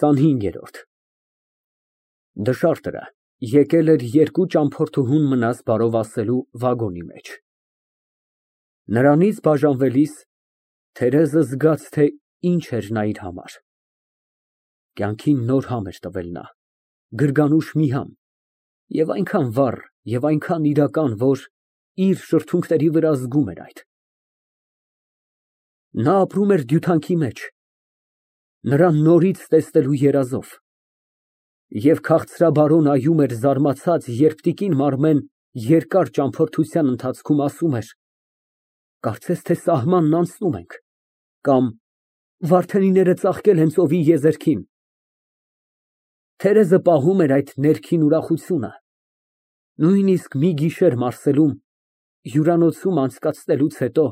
25։ Դշարտը եկել էր երկու ճամփորդուհուն մնաս բարով ասելու վագոնի մեջ։ Նրանից բաժանվելիս Թերեզը զգաց, թե ինչ էր նա իր համար։ Կյանքին նոր համ էր տվել նա, գրգանուշ մի համ, և այնքան վառ և այնքան իրական, որ իր շրթունքների վրա զգում էր այդ։ Նա ապրում էր դյութանքի մեջ, նրան նորից տեսնելու երազով, և քաղցրաբարո նայում էր զարմացած, երբ տիկին Մարմեն երկար ճամփորդության ընթացքում ասում էր. «Կարծես թե սահմանն անցնում ենք» կամ «Վարդենիները ծաղկել են ծովի եզերքին»։ Թերեզը պահում էր այդ ներքին ուրախությունը, նույնիսկ մի գիշեր Մարսելում, հյուրանոցում անցկացնելուց հետո,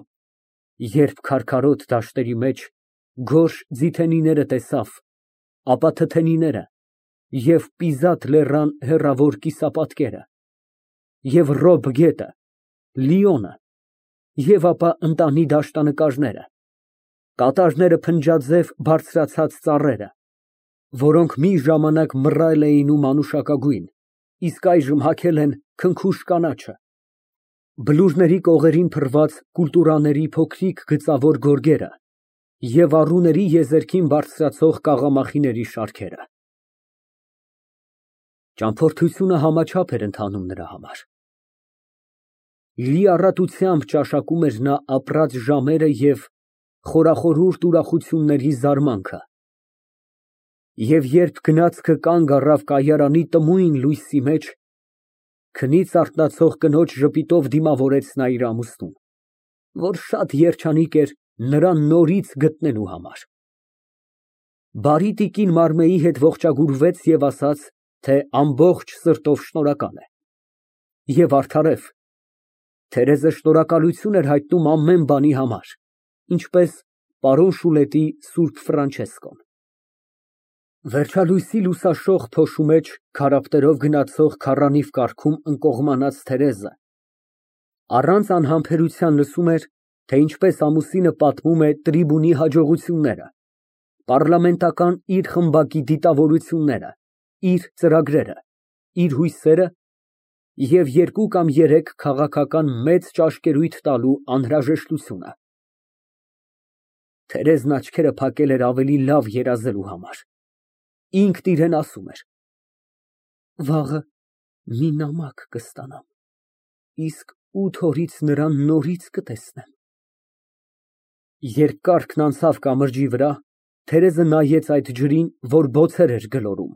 երբ քարքարոտ դաշտերի մեջ գորշ ձիթենիները տեսավ, ապա թթենիները և Պիզատ լեռան հեռավոր կիսապատկերը, և Ռոբ գետը, Լիոնը, և ապա ընտանի դաշտանկարները, կատարները փնջաձև բարձրացած ծառերը, որոնք մի ժամանակ մռայլ էին ու մանուշակագույն, իսկ այժմ հագել են քնքուշ կանաչը, բլուրների կողերին փռված կուլտուրաների փոքրիկ գծավոր գորգերը և առուների եզերքին բարձրացող կաղամախիների շարքերը։ Ճամփորդությունը համաչափ էր ընթանում նրա համար։ Լիառատությամբ ճաշակում էր նա ապրած ժամերը և խորախորհուրդ ուրախությունների զարմանքը։ Եվ երբ գնացքը կանգ առավ կայարանի տմույն լույսի մեջ, քնից արթնացող կնոջ ժպիտով դիմավորեց նա իր ամուսնուն, որ շատ երջանիկ էր նրան նորից գտնելու համար։ Բարի տիկին Մարմեի հետ ողջագուրվեց և ասաց, թե ամբողջ սրտով շնորհակալ է։ Եվ արդարև, Թերեզը շնորհակալություն էր հայտնում ամեն բանի համար, ինչպես պարոն Շուլետի սուրբ Ֆրանչեսկոն։ Վերջալույսի լուսաշող փոշու մեջ քարապտերով գնացող քառանիվ կառքում ընկողմանած Թերեզը առանց անհամբերության լսում էր, թե ինչպես ամուսինը պատմում է տրիբունի հաջողությունները, պառլամենտական իր խմբակի դիտավորությունները, իր ծրագրերը, իր հույսերը և երկու կամ երեք քաղաքական մեծ ճաշկերույթ տալու անհրաժեշտությունը։ Թերեզն աչքերը փակել էր ավելի լավ երազելու համար, ինքն իրան ասում էր. «Վաղը մի նամակ կստանամ, իսկ 8 օրից նրան նորից կտեսնեմ»։ Երբ կառքն անցավ կամրջի վրա, Թերեզը նայեց այդ ջրին, որ բոցեր էր գլորում,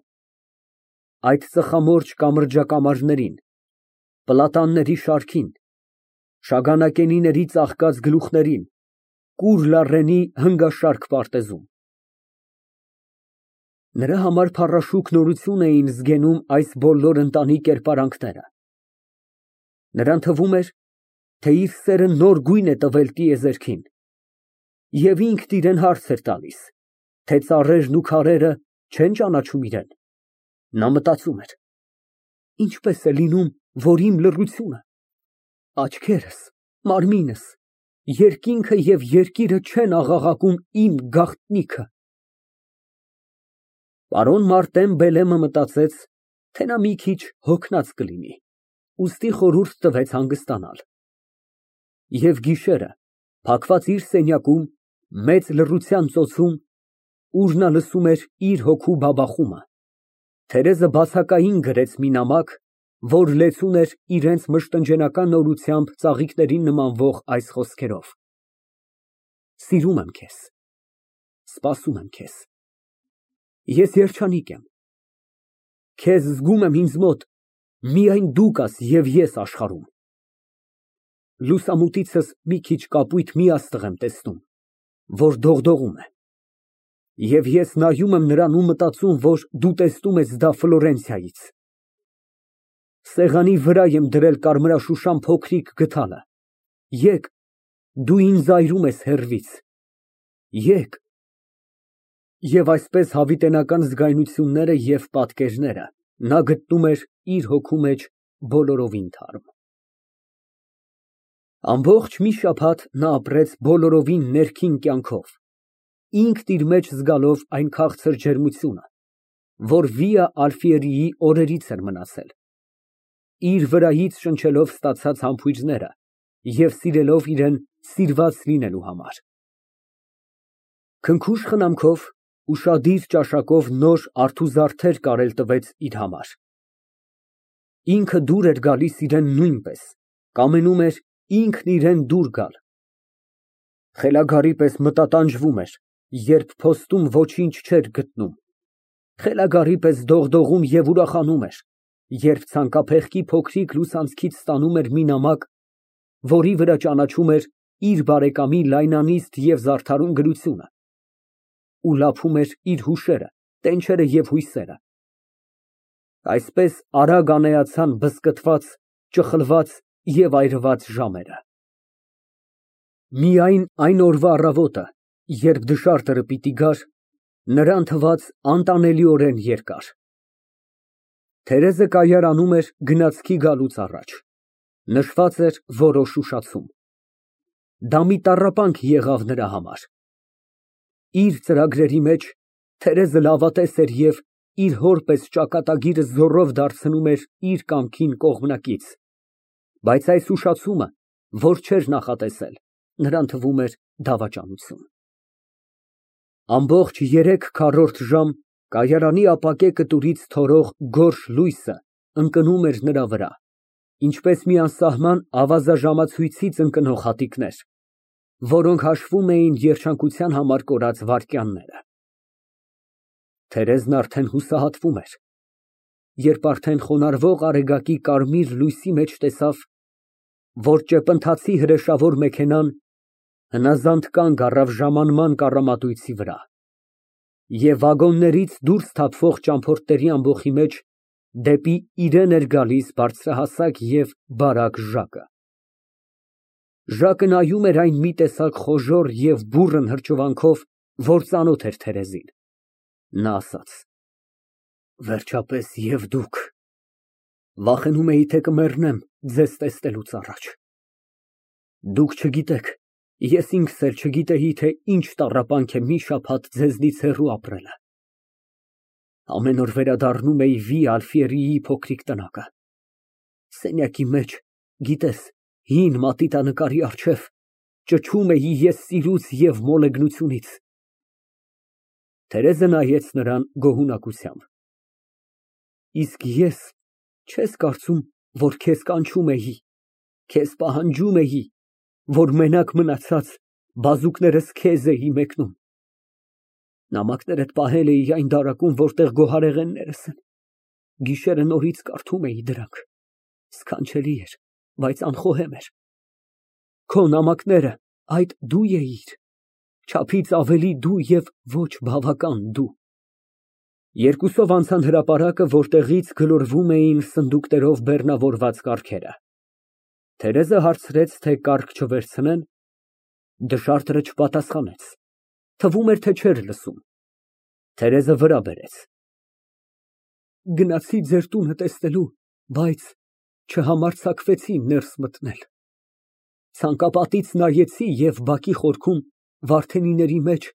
այդ ծխամորճ կամրջակամարներին, պլատանների շարքին, շագանակենիների ծաղկած գլուխներին, կուռ լառենի հնգաշարք պարտեզում։ Նրա համար փառաշուկ նորություն էին զգենում այս բոլոր ընտանի կերպարանքները։ Նրան թվում էր, թե իր սերը նոր գույն է տվել տիեզերքին, և ինքն իրան հարց էր տալիս, թե ծառերն ու քարերը չեն ճանաչում իրան։ Նա մտածում էր. ինչպե՞ս է լինում, որ իմ լռությունը, աչքերս, մարմինս, երկինքը և երկիրը չեն աղաղակում իմ գաղտնիքը։ Պարոն Մարտեն Բելեմը մտածեց, թե նա մի քիչ հոգնած կլինի, ուստի խորհուրդ տվեց հանգստանալ։ Եվ գիշերը, փակված իր սենյակում, մեծ լռության ծոցում, ուր նա լսում էր իր հոգու բաբախումը, Թերեզը բացակային գրեց մի նամակ, որ լեցուն էր իրենց մշտնջենական նորությամբ ծաղիկներին նմանվող այս խոսքերով. Սիրում եմ քեզ, սպասում եմ քեզ, ես երջանիկ եմ, քեզ զգում եմ ինձ մոտ, միայն դու կաս և ես աշխարհում, լուսամուտիցս մի քիչ կապույտ մի աստղ եմ տեսնում, որ դողդողում է, և ես նայում եմ նրան ու մտածում, որ դու տեսնում ես դա Ֆլորենցիայից, սեղանի վրա եմ դրել կարմրաշուշան փոքրիկ գդալը, եկ, դու ինձ այրում ես հեռվից, եկ։ Եվ այսպես հավիտենական զգայունությունները և պատկերները նա գտնում էր իր հոգու մեջ բոլորովին թարմ։ Ամբողջ մի շաբաթ նա ապրեց բոլորովին ներքին կյանքով, ինքն իր մեջ զգալով այն քաղցր ջերմությունը, որ Վիա Ալֆիերիի օրերից էր մնացել, իր վրայից շնչելով ստացած համբույրները և սիրելով իրան սիրված լինելու համար։ Քնքուշ խնամքով, ուշադիր ճաշակով նոր արթուզարդեր կարել տվեց իր համար։ Ինքը դուր էր գալիս իրան նույնպես, կամենում էր ինքն իրան դուր գալ։ Խելագարի պես մտատանջվում էր, երբ փոստում ոչինչ չէր գտնում, խելագարի պես դողդողում և ուրախանում էր, երբ ցանկափեղկի փոքրիկ լուսանցքից ստանում էր մի նամակ, որի վրա ճանաչում էր իր բարեկամի լայնանիստ և զարդարուն գրությունը, ու լափում էր իր հուշերը, տենչերը և հույսերը։ Այսպես արագ անեացան բզկտված, ճխլված և այրված ժամերը։ Միայն այն օրվա առավոտը, երբ դշարտը պիտի գար, նրան թվաց անտանելիորեն երկար։ Թերեզը կայարանում էր գնացքի գալուց առաջ, նշված էր որոշ ուշացում։ Դա մի տառապանք եղավ նրա համար։ Իր ծրագրերի մեջ Թերեզը լավատես էր և իր հոր պես ճակատագիրը զոռով դարձնում էր իր կամքին կողմնակից, բայց այս ուշացումը, որ չէր նախատեսել, նրան թվում էր դավաճանություն։ Ամբողջ 3/4 ժամ կայարանի ապակե կտուրից թորող գորշ լույսը ընկնում էր նրա վրա, ինչպես մի անսահման ավազաժամացույցից ընկնող հատիկներ, որոնք հաշվում էին երջանկության համար կորած վայրկյանները։ Թերեզն արդեն հուսահատվում էր, երբ արդեն խոնարհվող արեգակի կարմիր լույսի մեջ տեսավ, որ ճեպընթացի հրեշավոր մեքենան հնազանդ կանգ առավ ժամանման կառամատույցի վրա, և վագոններից դուրս թափվող ճամփորդների ամբոխի մեջ դեպի իրան էր գալիս բարձրահասակ և բարակ Ժակը։ Ժակը նայում էր այն մի տեսակ խոժոռ և բուռն հրճվանքով, որ ծանոթ էր Թերեզին։ Նա ասաց. Վերջապես և դուք։ Վախենում էի, թե կմեռնեմ ձեզ տեսնելուց առաջ։ Դուք չգիտեք, ես ինքս էլ չգիտեի, թե ինչ տառապանք է մի շաբաթ ձեզնից հեռու ապրելը։ Ամեն օր վերադառնում էի Վիա Ալֆիերիի փոքրիկ տնակը։ Սենյակի մեջ, գիտես, հին մատիտանկարի առջև ճչում էի ես սիրուց և մոլեգնությունից։ Թերեզը նայեց նրան գոհունակությամբ։ Իսկ ես, չես կարծում, որ քեզ կանչում էի, քեզ պահանջում էի, որ մենակ մնացած բազուկներս քեզ էի մեկնում։ Նամակներդ պահել էի այն դարակում, որտեղ գոհարեղեններս են, գիշերը նորից կարդում էի դրանք, սքանչելի էր, բայց անխոհեմ էր։ Քո նամակները այդ դու էիր, չափից ավելի դու և ոչ բավական դու։ Երկուսով անցան հրապարակը, որտեղից գլորվում էին սնդուկներով բեռնավորված կառքերը։ Թերեզը հարցրեց, թե կառք չվերցնեն։ Դշարտը չպատասխանեց, թվում էր, թե չէր լսում։ Թերեզը վրա բերեց։ Գնացի ձեր տունը տեսնելու, բայց չհամարձակվեցի ներս մտնել։ Ցանկապատից նայեցի և բակի խորքում, վարդենիների մեջ,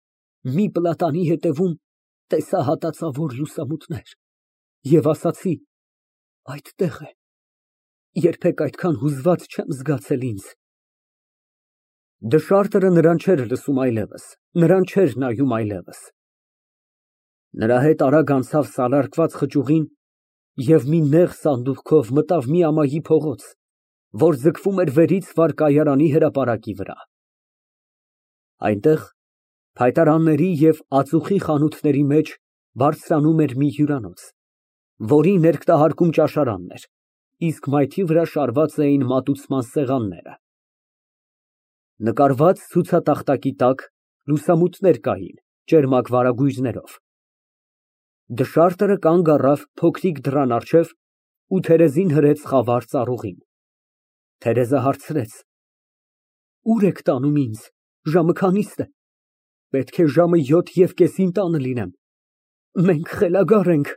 մի պլատանի ետևում տեսա հատածավոր լուսամուտներ և ասացի. այդտեղ է, երբեք այդքան հուզված չեմ զգացել ինձ։ Դշարտը նրան չէր լսում այլևս, նրան չէր նայում այլևս։ Նրա հետ արագ անցավ սալարկված խճուղին և մի նեղ սանդուղքով մտավ մի ամայի փողոց, որ ձգվում էր վերից վար կայարանի հրապարակի վրա։ Այնտեղ, փայտարանների և ածուխի խանութների մեջ բարձրանում էր մի հյուրանոց, որի ներկտահարկում ճաշարանն էր, իսկ մայթի վրա շարված էին մատուցման սեղանները։ Նկարված ցուցատախտակի տակ լուսամուտներ կային ճերմակ վարագույրներով։ Դշարտը կանգ առավ փոքրիկ դռան առջև ու Թերեզին հրեց խավար ծառուղին։ Թերեզը հարցրեց. Ուր եք տանում ինձ, ժամը քանի՞ստ է։ Պետք է ժամը 7:30 տանը լինեմ։ Մենք խելագար ենք։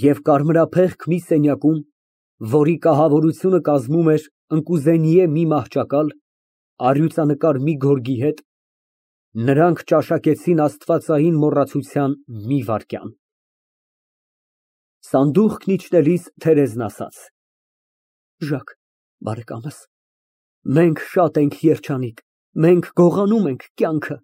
Եվ կարմրափեղկ մի սենյակում, որի կահավորությունը կազմում էր ընկուզենիե մի մահճակալ, առյուծանկար մի գորգի հետ, նրանք ճաշակեցին աստվածային մոռացության մի վայրկյան։ Սանդուղքն իջնելիս Թերեզն ասաց. Ժակ, բարեկամս, մենք շատ ենք երջանիկ, մենք գողանում ենք կյանքը։